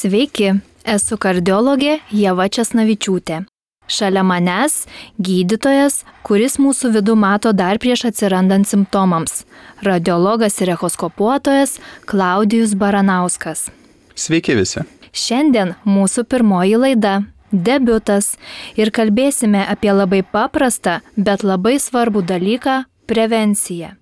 Sveiki, esu kardiologė Ieva Česnavičiūtė. Šalia manęs gydytojas, kuris mūsų vidų mato dar prieš atsirandant simptomams. Radiologas ir echoskopuotojas Klaudijus Baranauskas. Sveiki visi. Šiandien mūsų pirmoji laida. Debiutas ir kalbėsime apie labai paprastą, bet labai svarbų dalyką – prevenciją.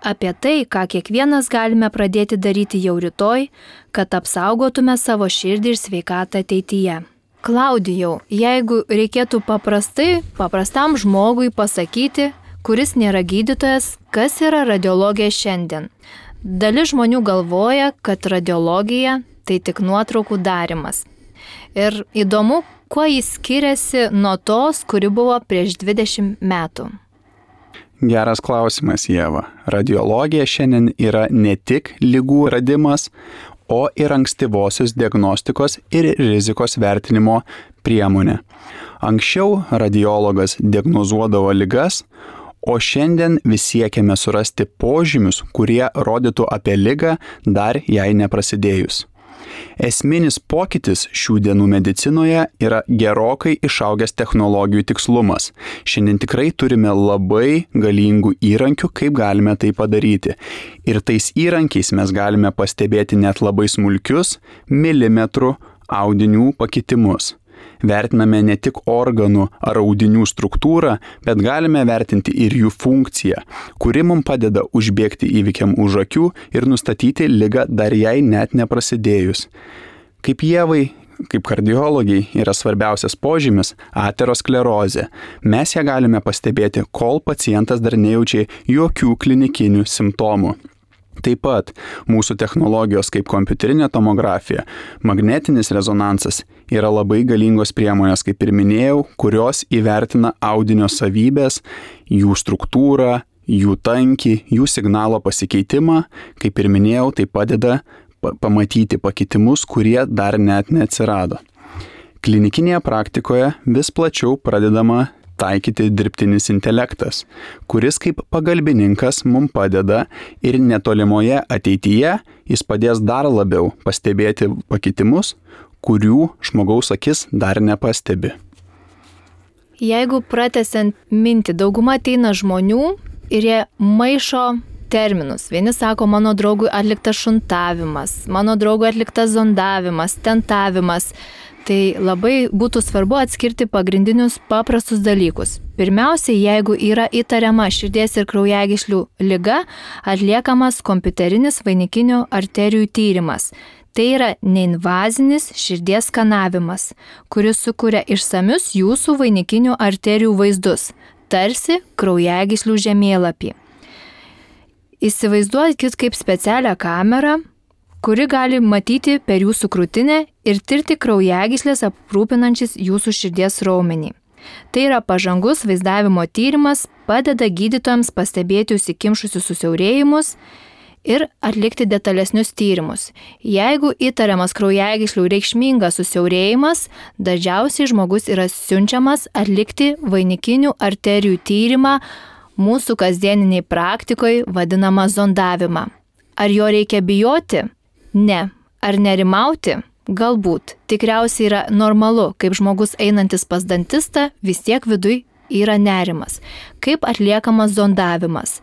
Apie tai, ką kiekvienas galime pradėti daryti jau rytoj, kad apsaugotume savo širdį ir sveikatą ateityje. Klaudijau, jeigu reikėtų paprastam žmogui pasakyti, kuris nėra gydytojas, kas yra radiologija šiandien. Dalis žmonių galvoja, kad radiologija tai tik nuotraukų darymas. Ir įdomu, kuo jis skiriasi nuo tos, kuri buvo prieš 20 metų. Geras klausimas, Ieva. Radiologija šiandien yra ne tik ligų radimas, o ir ankstyvosios diagnostikos ir rizikos vertinimo priemonė. Anksčiau radiologas diagnozuodavo ligas, o šiandien vis siekiame surasti požymius, kurie rodytų apie ligą dar jai neprasidėjus. Esminis pokytis šių dienų medicinoje yra gerokai išaugęs technologijų tikslumas. Šiandien tikrai turime labai galingų įrankių, kaip galime tai padaryti. Ir tais įrankiais mes galime pastebėti net labai smulkius milimetrų audinių pakitimus. Vertiname ne tik organų ar audinių struktūrą, bet galime vertinti ir jų funkciją, kuri mums padeda užbėgti įvykiam už akių ir nustatyti ligą dar jai net neprasidėjus. Kaip Ievai, kaip kardiologiai, yra svarbiausias požymis – aterosklerozė. Mes ją galime pastebėti, kol pacientas dar nejaučia jokių klinikinių simptomų. Taip pat mūsų technologijos kaip kompiuterinė tomografija, magnetinis rezonansas yra labai galingos priemonės, kaip ir minėjau, kurios įvertina audinio savybės, jų struktūrą, jų tankį, jų signalo pasikeitimą. Kaip ir minėjau, tai padeda pamatyti pakitimus, kurie dar net neatsirado. Klinikinėje praktikoje vis plačiau pradedama taikyti dirbtinis intelektas, kuris kaip pagalbininkas mums padeda ir netolimoje ateityje jis padės dar labiau pastebėti pakitimus, kurių žmogaus akis dar nepastebi. Jeigu pratęsiant mintį, dauguma ateina žmonių ir jie maišo terminus. Vieni sako, mano draugui atliktas šuntavimas, mano draugui atliktas zondavimas, tentavimas. Tai labai būtų svarbu atskirti pagrindinius paprastus dalykus. Pirmiausia, jeigu yra įtariama širdies ir kraujagyslių liga, atliekamas kompiuterinis vainikinių arterijų tyrimas. Tai yra neinvazinis širdies skanavimas, kuris sukuria išsamius jūsų vainikinių arterijų vaizdus, tarsi kraujagyslių žemėlapį. Įsivaizduokit kaip specialią kamerą, kuri gali matyti per jūsų krūtinę ir tirti kraujagyslės aprūpinančius jūsų širdies raumenį. Tai yra pažangus vaizdavimo tyrimas, padeda gydytojams pastebėti užsikimšusius susiaurėjimus ir atlikti detalesnius tyrimus. Jeigu įtariamas kraujagyslių reikšmingas susiaurėjimas, dažniausiai žmogus yra siunčiamas atlikti vainikinių arterijų tyrimą mūsų kasdieniniai praktikoje vadinamą zondavimą. Ar jo reikia bijoti? Ne. Ar nerimauti? Galbūt. Tikriausiai yra normalu, kaip žmogus einantis pas dantistą, vis tiek viduj yra nerimas. Kaip atliekamas zondavimas?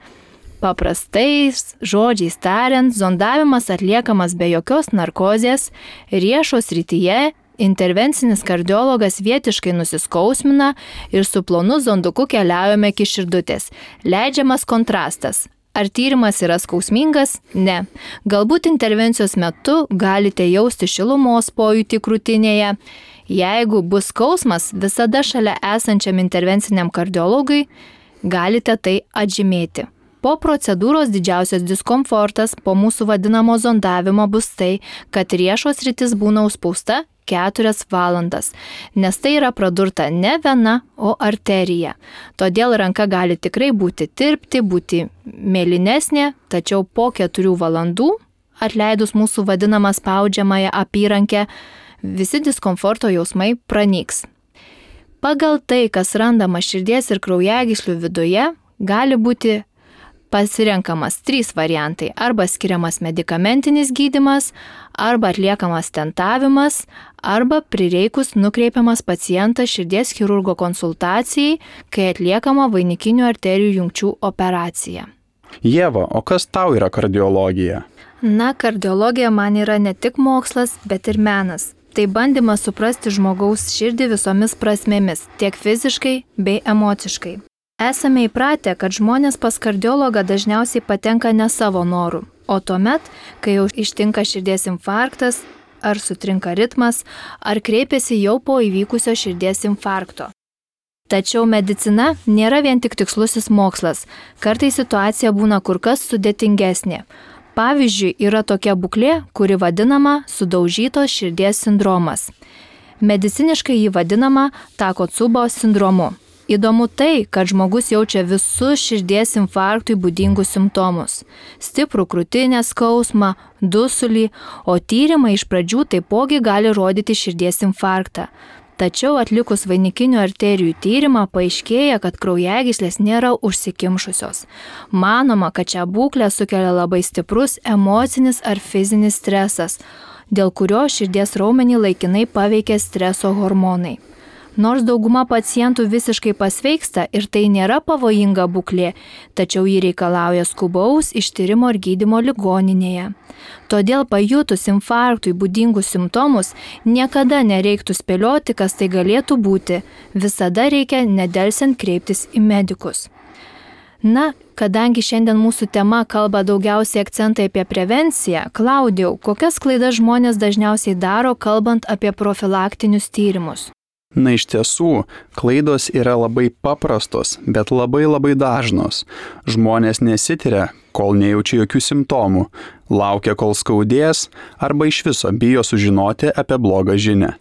Paprastais žodžiais tariant, zondavimas atliekamas be jokios narkozės, riešo srityje. Intervencinis kardiologas vietiškai nusiskausmina ir su plonu zonduku keliaujame iki širdutės. Leidžiamas kontrastas. Ar tyrimas yra skausmingas? Ne. Galbūt intervencijos metu galite jausti šilumos pojūtį krūtinėje. Jeigu bus skausmas, visada šalia esančiam intervenciniam kardiologui galite tai atžymėti. Po procedūros didžiausias diskomfortas po mūsų vadinamo zondavimo bus tai, kad riešo sritis būna užspausta 4 valandas, nes tai yra pradurta ne vena, o arterija. Todėl ranka gali tikrai būti tirpti, būti mėlynesnė, tačiau po 4 valandų, atleidus mūsų vadinamą spaudžiamąją apyrankę, visi diskomforto jausmai pranyks. Pagal tai, kas randama širdies ir kraujagyslių viduje, gali būti Pasirenkamas 3 variantai – arba skiriamas medikamentinis gydymas, arba atliekamas stentavimas, arba prireikus nukreipiamas pacientas širdies chirurgo konsultacijai, kai atliekama vainikinių arterijų jungčių operacija. Ieva, o kas tau yra kardiologija? Na, kardiologija man yra ne tik mokslas, bet ir menas. Tai bandymas suprasti žmogaus širdį visomis prasmėmis, tiek fiziškai bei emociškai. Esame įpratę, kad žmonės pas kardiologą dažniausiai patenka ne savo norų, o tuomet, kai jau ištinka širdies infarktas, ar sutrinka ritmas, ar kreipiasi jau po įvykusio širdies infarkto. Tačiau medicina nėra vien tik tikslusis mokslas, kartais situacija būna kur kas sudėtingesnė. Pavyzdžiui, yra tokia būklė, kuri vadinama sudaužytos širdies sindromas. Mediciniškai jį vadinama Takotsubo sindromu. Įdomu tai, kad žmogus jaučia visus širdies infarktui būdingus simptomus – stiprų krūtinės skausmą, dusulį, o tyrimai iš pradžių taipogi gali rodyti širdies infarktą. Tačiau atlikus vainikinių arterijų tyrimą paaiškėja, kad kraujagyslės nėra užsikimšusios. Manoma, kad šią būklę sukelia labai stiprus emocinis ar fizinis stresas, dėl kurio širdies raumenį laikinai paveikia streso hormonai. Nors dauguma pacientų visiškai pasveiksta ir tai nėra pavojinga būklė, tačiau ji reikalauja skubaus ištyrimo ir gydymo ligoninėje. Todėl pajutus infarktui būdingus simptomus niekada nereiktų spėlioti, kas tai galėtų būti. Visada reikia nedelsiant kreiptis į medikus. Na, kadangi šiandien mūsų tema kalba daugiausiai akcentai apie prevenciją, Klaudijau, kokias klaidas žmonės dažniausiai daro, kalbant apie profilaktinius tyrimus? Na, iš tiesų, klaidos yra labai paprastos, bet labai dažnos. Žmonės nesitiria, kol nejaučia jokių simptomų, laukia, kol skaudės, arba iš viso bijo sužinoti apie blogą žinią.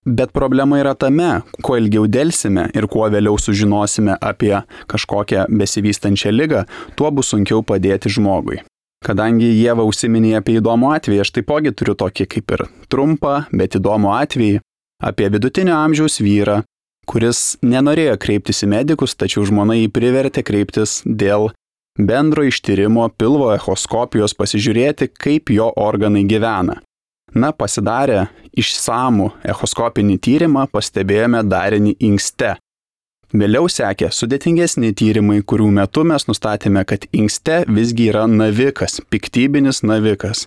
Bet problema yra tame, kuo ilgiau delsime ir kuo vėliau sužinosime apie kažkokią besivystančią ligą, tuo bus sunkiau padėti žmogui. Kadangi Ieva užsiminė apie įdomų atvejį, aš taipogi turiu tokį kaip ir trumpą, bet įdomų atvejį apie vidutinio amžiaus vyrą, kuris nenorėjo kreiptis į medikus, tačiau žmona jį privertė kreiptis dėl bendro ištyrimo pilvo echoskopijos pasižiūrėti, kaip jo organai gyvena. Na, pasidarę išsamų echoskopinį tyrimą, pastebėjome darinį inkste. Vėliau sekė sudėtingesni tyrimai, kurių metu mes nustatėme, kad inkste visgi yra navikas, piktybinis navikas.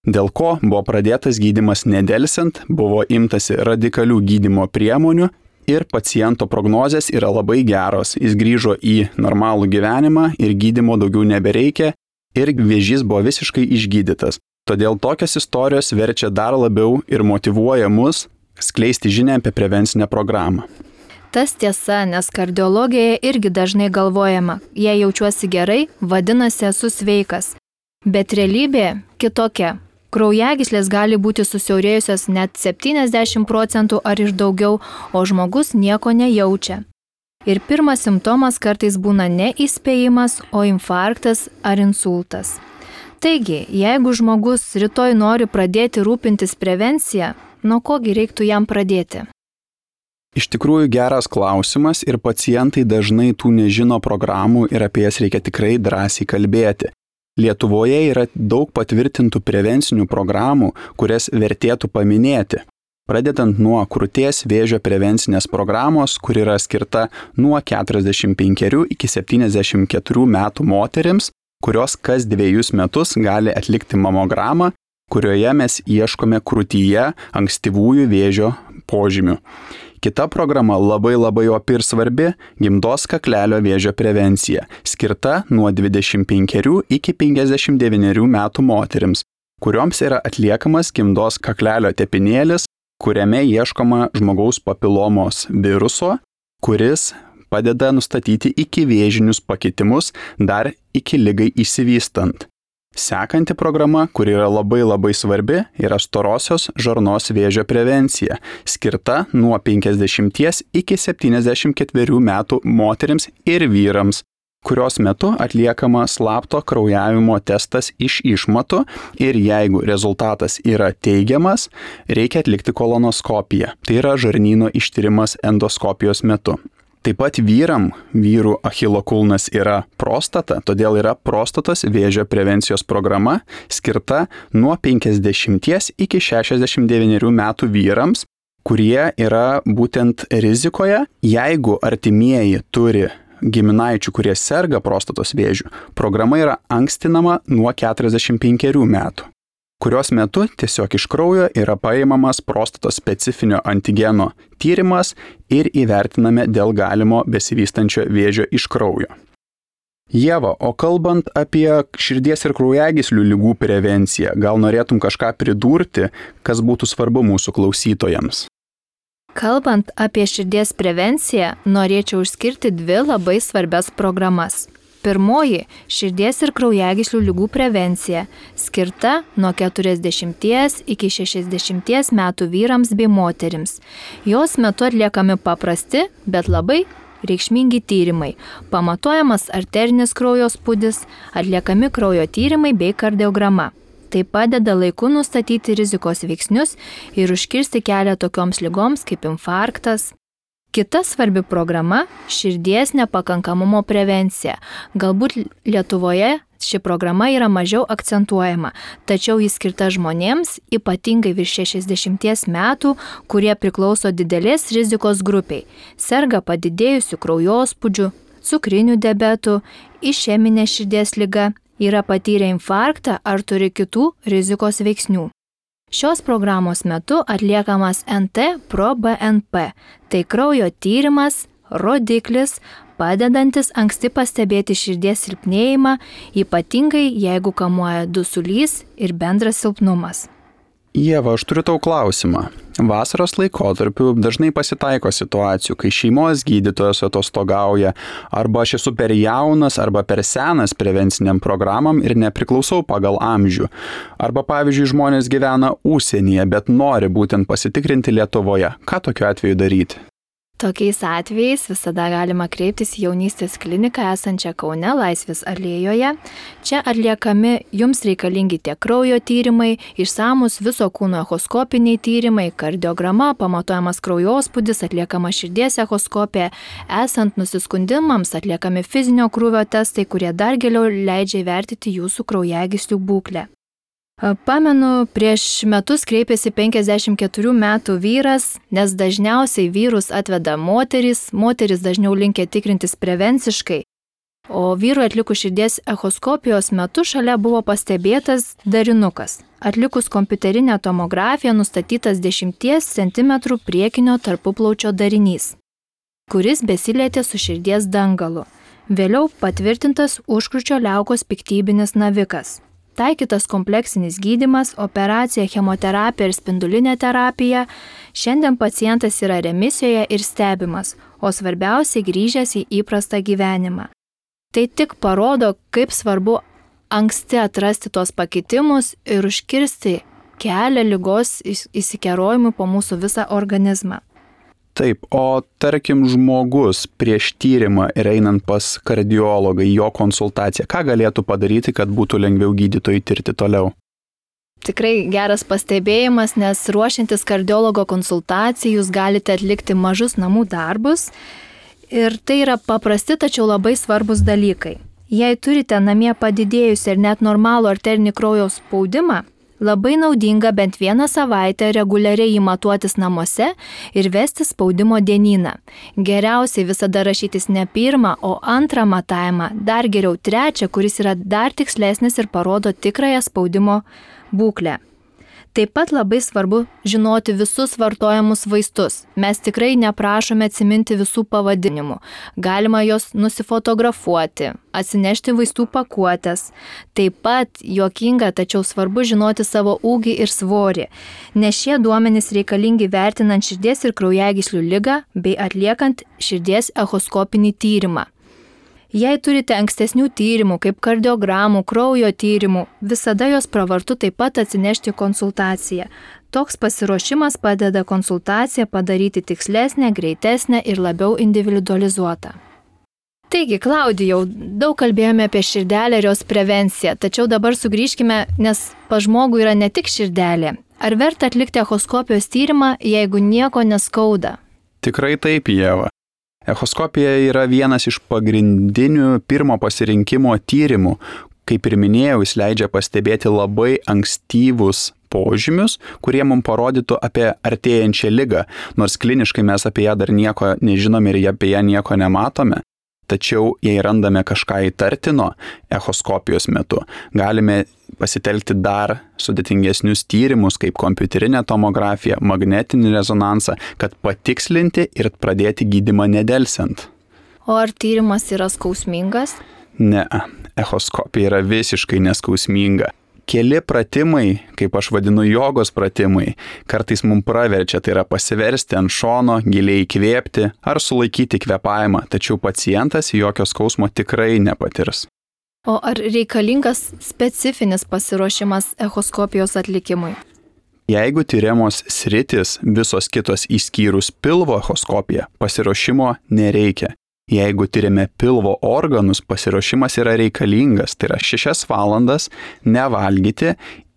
Dėl ko buvo pradėtas gydymas nedelsiant, buvo imtasi radikalių gydymo priemonių ir paciento prognozės yra labai geros. Jis grįžo į normalų gyvenimą ir gydymo daugiau nebereikia ir vėžys buvo visiškai išgydytas. Todėl tokios istorijos verčia dar labiau ir motyvuoja mus skleisti žinią apie prevencinę programą. Tas tiesa, nes kardiologijoje irgi dažnai galvojama, jei jaučiuosi gerai, vadinasi esu sveikas. Bet realybė kitokia. Kraujagyslės gali būti susiaurėjusios net 70% ar ir daugiau, o žmogus nieko nejaučia. Ir pirmas simptomas kartais būna ne įspėjimas, o infarktas ar insultas. Taigi, jeigu žmogus rytoj nori pradėti rūpintis prevenciją, nuo kogi reiktų jam pradėti? Iš tikrųjų geras klausimas ir pacientai dažnai tų nežino programų ir apie jas reikia tikrai drąsiai kalbėti. Lietuvoje yra daug patvirtintų prevencinių programų, kurias vertėtų paminėti. Pradedant nuo krūties vėžio prevencinės programos, kur yra skirta nuo 45 iki 74 metų moterims, kurios kas 2 metus gali atlikti mamogramą, kurioje mes ieškome krūtyje ankstyvųjų vėžio požymių. Kita programa labai opi ir svarbi – gimdos kaklelio vėžio prevencija, skirta nuo 25 iki 59 metų moterims, kurioms yra atliekamas gimdos kaklelio tepinėlis, kuriame ieškoma žmogaus papilomos viruso, kuris padeda nustatyti ikivėžinius pakitimus dar iki ligai išsivystant. Sekanti programa, kuri yra labai svarbi, yra storosios žarnos vėžio prevencija, skirta nuo 50 iki 74 metų moterims ir vyrams, kurios metu atliekama slapto kraujavimo testas iš išmatų ir jeigu rezultatas yra teigiamas, reikia atlikti kolonoskopiją, tai yra žarnyno ištyrimas endoskopijos metu. Taip pat vyrų Achilo kulnas yra prostata, todėl yra prostatos vėžio prevencijos programa skirta nuo 50 iki 69 metų vyrams, kurie yra būtent rizikoje, jeigu artimieji turi giminaičių, kurie serga prostatos vėžiu. Programa yra ankstinama nuo 45 metų, kurios metu tiesiog iš kraujo yra paimamas prostatos specifinio antigeno tyrimas ir įvertiname dėl galimo besivystančio vėžio iš kraujo. Ieva, o kalbant apie širdies ir kraujagyslių ligų prevenciją, gal norėtum kažką pridurti, kas būtų svarbu mūsų klausytojams? Kalbant apie širdies prevenciją, norėčiau išskirti 2 labai svarbias programas. Pirmoji – širdies ir kraujagyslių ligų prevencija, skirta nuo 40 iki 60 metų vyrams bei moterims. Jos metu atliekami paprasti, bet labai reikšmingi tyrimai. Pamatuojamas arterinis kraujo spūdis, atliekami kraujo tyrimai bei kardiograma. Tai padeda laiku nustatyti rizikos veiksnius ir užkirsti kelią tokioms ligoms kaip infarktas. Kita svarbi programa – širdies nepakankamumo prevencija. Galbūt Lietuvoje ši programa yra mažiau akcentuojama, tačiau jis skirta žmonėms, ypatingai virš 60 metų, kurie priklauso didelės rizikos grupiai, serga padidėjusių kraujospūdžių, cukriniu diabetu, išeminė širdies liga, yra patyrę infarktą ar turi kitų rizikos veiksnių. Šios programos metu atliekamas NT-proBNP, tai kraujo tyrimas, rodiklis, padedantis anksti pastebėti širdies silpnėjimą, ypatingai jeigu kamuoja dusulys ir bendras silpnumas. Ieva, aš turiu tau klausimą. Vasaros laikotarpiu dažnai pasitaiko situacijų, kai šeimos gydytojas atostogauja, arba aš esu per jaunas arba per senas prevenciniam programam ir nepriklausau pagal amžių. Arba pavyzdžiui, žmonės gyvena užsienyje, bet nori būtent pasitikrinti Lietuvoje. Ką tokiu atveju daryti? Tokiais atvejais visada galima kreiptis į jaunystės kliniką esančią Kaune Laisvės alėjoje. Čia atliekami jums reikalingi tiek kraujo tyrimai, išsamus viso kūno echoskopiniai tyrimai, kardiograma, pamatuojamas kraujospūdis, atliekama širdies echoskopija, esant nusiskundimams atliekami fizinio krūvio testai, kurie dar giliau leidžia įvertinti jūsų kraujagyslių būklę. Pamenu, prieš metus kreipėsi 54 metų vyras, nes dažniausiai vyrus atveda moteris dažniau linkę tikrintis prevenciškai, o vyrui atlikus širdies echoskopijos metu šalia buvo pastebėtas darinukas. Atlikus kompiuterinę tomografiją nustatytas 10 cm priekinio tarpuplaučio darinys, kuris besilietė su širdies dangalu. Vėliau patvirtintas užkrūčio liaukos piktybinis navikas. Taikytas kompleksinis gydymas, operacija, chemoterapija ir spindulinė terapija. Šiandien pacientas yra remisijoje ir stebimas, o svarbiausiai grįžęs į įprastą gyvenimą. Tai tik parodo, kaip svarbu anksti atrasti tos pakitimus ir užkirsti kelią ligos įsikerojimui po mūsų visą organizmą. Taip, o tarkim žmogus prieš tyrimą ir einant pas kardiologą, jo konsultaciją, ką galėtų padaryti, kad būtų lengviau gydytojui tirti toliau? Tikrai geras pastebėjimas, nes ruošiantis kardiologo konsultacijai jūs galite atlikti mažus namų darbus ir tai yra paprasti, tačiau labai svarbus dalykai. Jei turite namie padidėjusi ir net normalų arterinį kraujo spaudimą, labai naudinga bent 1 savaitę reguliariai įmatuotis namuose ir vesti spaudimo dienyną. Geriausiai visada rašytis ne 1, o 2 matavimą, dar geriau 3, kuris yra dar tikslesnis ir parodo tikrąją spaudimo būklę. Taip pat labai svarbu žinoti visus vartojamus vaistus. Mes tikrai neprašome atsiminti visų pavadinimų. Galima juos nusifotografuoti, atsinešti vaistų pakuotės. Taip pat juokinga, tačiau svarbu žinoti savo ūgį ir svorį, nes šie duomenys reikalingi vertinant širdies ir kraujagyslių ligą bei atliekant širdies echoskopinį tyrimą. Jei turite ankstesnių tyrimų, kaip kardiogramų, kraujo tyrimų, visada jos pravartu taip pat atsinešti konsultaciją. Toks pasiruošimas padeda konsultaciją padaryti tikslesnę, greitesnę ir labiau individualizuotą. Taigi, Klaudijau, daug kalbėjome apie širdelę ir jos prevenciją, tačiau dabar sugrįžkime, nes pas žmogų yra ne tik širdelė. Ar verta atlikti echoskopijos tyrimą, jeigu nieko neskauda? Tikrai taip, Ieva. Echoskopija yra vienas iš pagrindinių pirmo pasirinkimo tyrimų. Kaip ir minėjau, jis leidžia pastebėti labai ankstyvus požymius, kurie mums parodytų apie artėjančią ligą, nors kliniškai mes apie ją dar nieko nežinome ir apie ją nieko nematome. Tačiau jei randame kažką įtartino echoskopijos metu, galime pasitelkti dar sudėtingesnius tyrimus, kaip kompiuterinė tomografija, magnetinį rezonansą, kad patikslinti ir pradėti gydymą nedelsiant. O ar tyrimas yra skausmingas? Ne, echoskopija yra visiškai neskausminga. Keli pratimai, kaip aš vadinu jogos pratimai, kartais mums praverčia, tai yra pasiversti ant šono, giliai įkvėpti ar sulaikyti kvėpavimą, tačiau pacientas jokio skausmo tikrai nepatirs. O ar reikalingas specifinis pasiruošimas echoskopijos atlikimui? Jeigu tyriamos sritis visos kitos išskyrus pilvo echoskopiją, pasiruošimo nereikia. Jeigu tyrime pilvo organus, pasiruošimas yra reikalingas, tai yra 6 valandas nevalgyti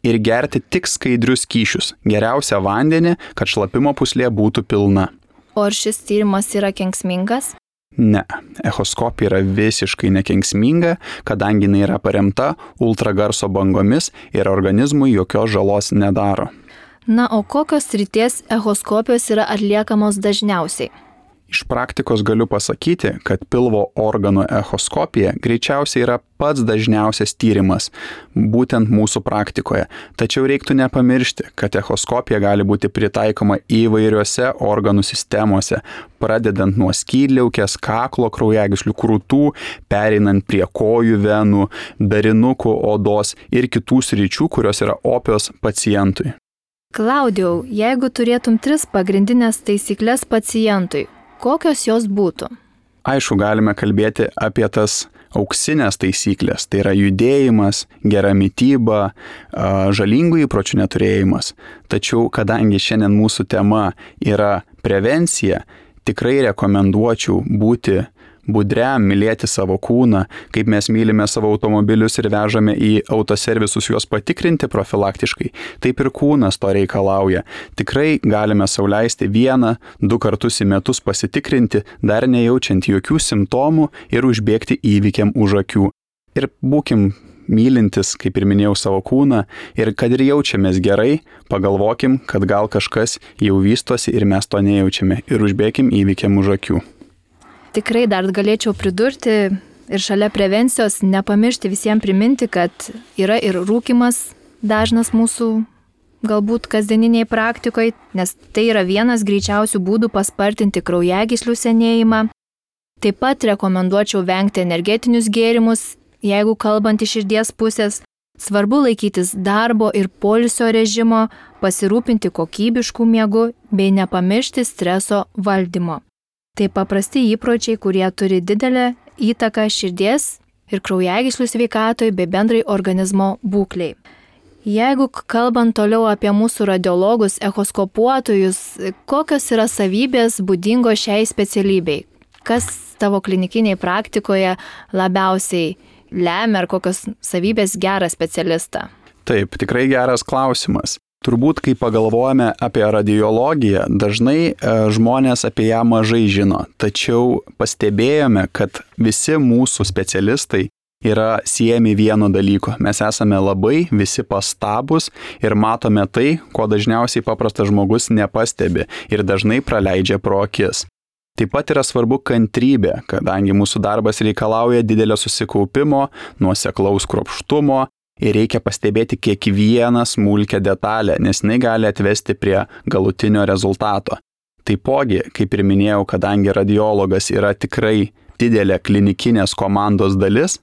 ir gerti tik skaidrius skysčius, geriausia vandenį, kad šlapimo pūslė būtų pilna. O ar šis tyrimas yra kenksmingas? Ne, echoskopija yra visiškai nekenksminga, kadangi jinai yra paremta ultragarso bangomis ir organizmui jokios žalos nedaro. Na, o kokios srities echoskopijos yra atliekamos dažniausiai? Iš praktikos galiu pasakyti, kad pilvo organų echoskopija greičiausiai yra pats dažniausias tyrimas, būtent mūsų praktikoje. Tačiau reiktų nepamiršti, kad echoskopija gali būti pritaikoma įvairiuose organų sistemose, pradedant nuo skydliaukės, kaklo kraujagyslių krūtų, pereinant prie kojų venų, darinukų, odos ir kitų sričių, kurios yra opios pacientui. Klaudijau, jeigu turėtum 3 pagrindinės taisyklės pacientui, kokios jos būtų? Aišku, galime kalbėti apie tas auksinės taisyklės, tai yra judėjimas, gera mityba, žalingų įpročių neturėjimas. Tačiau, kadangi šiandien mūsų tema yra prevencija, tikrai rekomenduočiau būti budriam, mylėti savo kūną, kaip mes mylime savo automobilius ir vežame į autoservisus juos patikrinti profilaktiškai, taip ir kūnas to reikalauja. Tikrai galime sau leisti 1-2 kartus į metus pasitikrinti, dar nejaučiant jokių simptomų ir užbėgti įvykiam už akių. Ir būkim mylintis, kaip ir minėjau, savo kūną ir kad ir jaučiamės gerai, pagalvokim, kad gal kažkas jau vystosi ir mes to nejaučiame ir užbėkim įvykiam už akių. Tikrai dar galėčiau pridurti ir šalia prevencijos nepamiršti visiems priminti, kad yra ir rūkymas dažnas mūsų galbūt kasdieniniai praktikoje, nes tai yra vienas greičiausių būdų paspartinti kraujagyslių senėjimą. Taip pat rekomenduočiau vengti energetinius gėrimus, jeigu kalbant iš širdies pusės. Svarbu laikytis darbo ir poilsio režimo, pasirūpinti kokybiškų miegų bei nepamiršti streso valdymo. Tai paprasti įpročiai, kurie turi didelę įtaką širdies ir kraujagyslių sveikatoj bei bendrai organizmo būklei. Jeigu kalbant toliau apie mūsų radiologus, echoskopuotojus, kokios yra savybės būdingos šiai specialybei? Kas tavo klinikinėje praktikoje labiausiai lemia ar kokios savybės gerą specialistą? Taip, tikrai geras klausimas. Turbūt, kai pagalvojame apie radiologiją, dažnai žmonės apie ją mažai žino, tačiau pastebėjome, kad visi mūsų specialistai yra siejami vieno dalyko. Mes esame labai visi pastabūs ir matome tai, ko dažniausiai paprastas žmogus nepastebi ir dažnai praleidžia pro akis. Taip pat yra svarbu kantrybė, kadangi mūsų darbas reikalauja didelio susikaupimo, nuoseklaus kruopštumo, ir reikia pastebėti kiekvieną smulkią detalę, nes jinai gali atvesti prie galutinio rezultato. Taipogi, kaip ir minėjau, kadangi radiologas yra tikrai didelė klinikinės komandos dalis,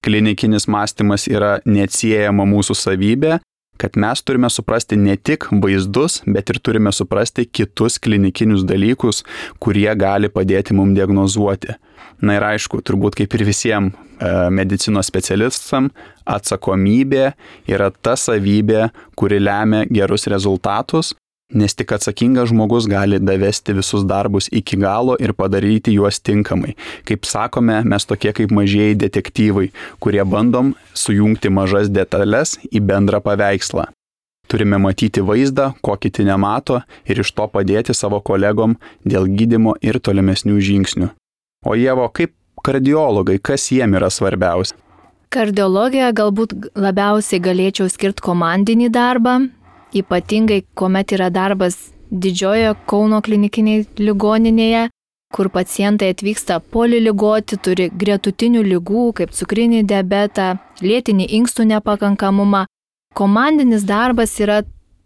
klinikinis mąstymas yra neatsiejama mūsų savybė, kad mes turime suprasti ne tik vaizdus, bet ir turime suprasti kitus klinikinius dalykus, kurie gali padėti mums diagnozuoti. Na ir aišku, turbūt kaip ir visiems medicinos specialistam, atsakomybė yra ta savybė, kuri lemia gerus rezultatus, nes tik atsakingas žmogus gali davesti visus darbus iki galo ir padaryti juos tinkamai. Kaip sakome, mes tokie kaip mažieji detektyvai, kurie bandom sujungti mažas detalės į bendrą paveikslą. Turime matyti vaizdą, ko kiti nemato ir iš to padėti savo kolegom dėl gydymo ir tolimesnių žingsnių. O Ieva, kaip kardiologai, kas jiem yra svarbiausia? Kardiologijoje galbūt labiausiai galėčiau skirti komandinį darbą, ypatingai kuomet yra darbas Didžiojoje Kauno klinikinėje ligoninėje, kur pacientai atvyksta poliligoti, turi gretutinių ligų, kaip cukrinį diabetą, lėtinį inkstų nepakankamumą. Komandinis darbas yra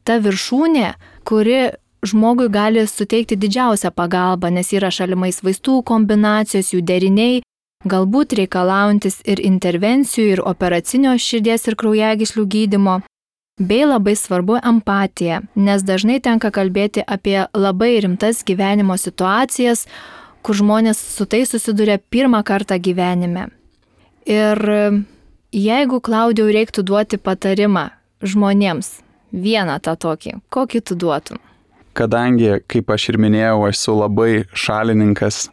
ta viršūnė, kuri žmogui gali suteikti didžiausią pagalbą, nes yra šalimais vaistų kombinacijos, jų deriniai, galbūt reikalaujantis ir intervencijų, ir operacinio širdies ir kraujagyslių gydymo. Bei labai svarbu empatija, nes dažnai tenka kalbėti apie labai rimtas gyvenimo situacijas, kur žmonės su tai susiduria pirmą kartą gyvenime. Ir jeigu, Klaudijau, reiktų duoti patarimą žmonėms, vieną tą tokį, kokį tu duotum? Kadangi, kaip aš ir minėjau, esu labai šalininkas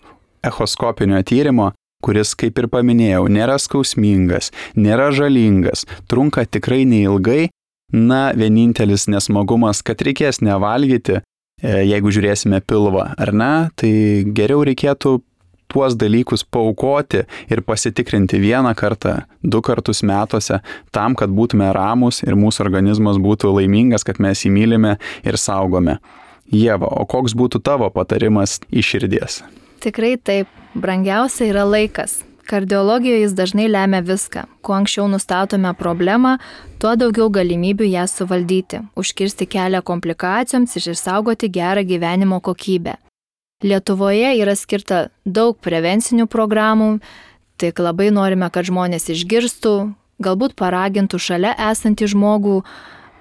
echoskopinio tyrimo, kuris, kaip ir paminėjau, nėra skausmingas, nėra žalingas, trunka tikrai neilgai. Na, vienintelis nesmagumas, kad reikės nevalgyti, jeigu žiūrėsime pilvą, ar ne, tai geriau reikėtų tuos dalykus paaukoti ir pasitikrinti vieną kartą, 2 kartus metuose, tam, kad būtume ramūs ir mūsų organizmas būtų laimingas, kad mes jį mylime ir saugome. Ieva, o koks būtų tavo patarimas iš širdies? Tikrai taip, brangiausia yra laikas. Kardiologijoje jis dažnai lemia viską. Kuo anksčiau nustatome problemą, tuo daugiau galimybių ją suvaldyti, užkirsti kelią komplikacijoms ir išsaugoti gerą gyvenimo kokybę. Lietuvoje yra skirta daug prevencinių programų, tik labai norime, kad žmonės išgirstų, galbūt paragintų šalia esantį žmogų,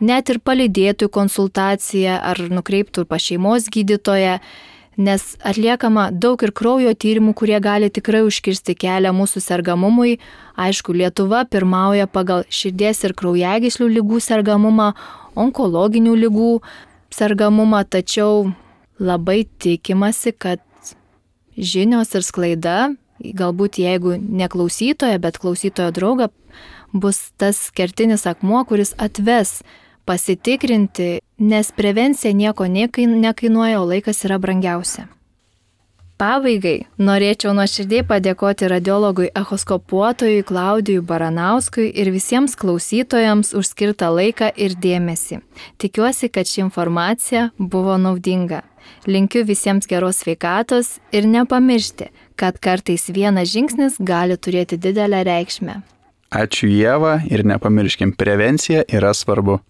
net ir palydėtų konsultaciją ar nukreiptų pas šeimos gydytoją, nes atliekama daug ir kraujo tyrimų, kurie gali tikrai užkirsti kelią mūsų sergamumui. Aišku, Lietuva pirmauja pagal širdies ir kraujagyslių ligų sergamumą, onkologinių ligų sergamumą, tačiau labai tikimasi, kad žinios ir sklaida, galbūt jeigu ne klausytoja, bet klausytojo drauga, bus tas kertinis akmuo, kuris atves pasitikrinti, nes prevencija nieko nekainuoja, o laikas yra brangiausia. Pabaigai norėčiau nuoširdžiai padėkoti radiologui echoskopuotojui Klaudijui Baranauskui ir visiems klausytojams už skirtą laiką ir dėmesį. Tikiuosi, kad ši informacija buvo naudinga. Linkiu visiems geros sveikatos ir nepamiršti, kad kartais vienas žingsnis gali turėti didelę reikšmę. Ačiū Ieva ir nepamirškim, prevencija yra svarbu.